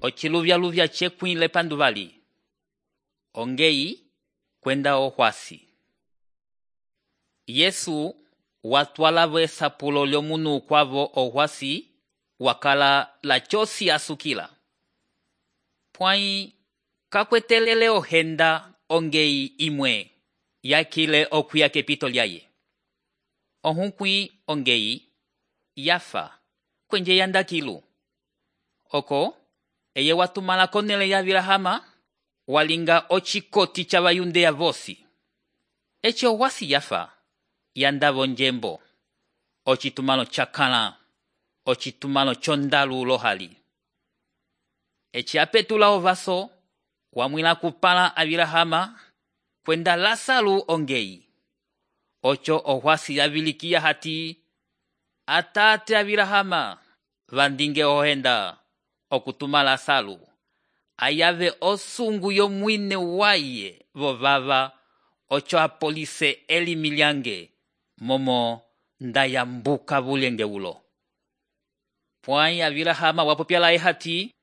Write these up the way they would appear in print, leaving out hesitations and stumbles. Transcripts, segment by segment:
ociluvyaluvya cekwĩ lepanduvali, ongeyi kwenda ohwasi. Yesu watwalavo esapulo lyomunu ukwavo ohwasi wakala lacosi asukila. Pwãyi kakwetelele ohenda ongeyi imwe yakile okuya kepito lyaye. Ohukwĩ ongeyi yafa kwenje yandakilu. Oko eye watumala konele ya Abilahama walinga ocikoti ca vayundeya vosi. Eci ohwasi yafa yandavo njembo, ocitumalo cakãla, ocitumalo condalu lohali. Eci apetula ovaso wamwila kupala Abilahama kwenda Lasalu ongeyi. Oco ohwasi yavilikiya hati atate Abilahama vandinge ohenda okutuma Lasalu ayave osungu yomwine waye vovava oco apolise elimi lyange momo ndayambuka vulenge ulo. Pwãyi Abilahama wapopya laye hati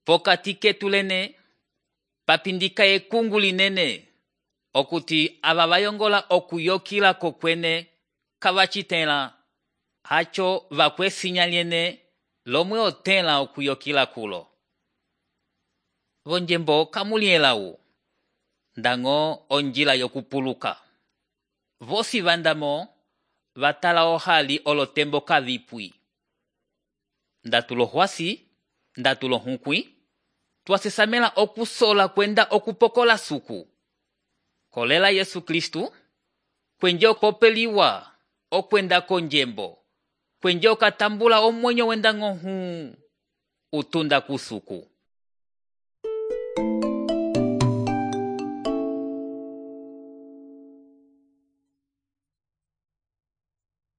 pokati ketu lene papindika ekungu linene okuti ava vayongola okuyokila kokwene kavacitẽla, haco vakwesinya lyene lomwe otẽla okuyokila kulo. Vonjembo kamulielawu ndañgo onjila yokupuluka. Vosi vandamo vatala ohali olotembo kavipwi. Ndatulo hwasi, ndatulo hunkwi, twasesamela okusola kwenda okupokola suku. Kolela Yesu Kristu, kwenje okopeliwa okwenda konjembo, kwenje okatambula omwenyo wenda ng'ohu utunda kusuku.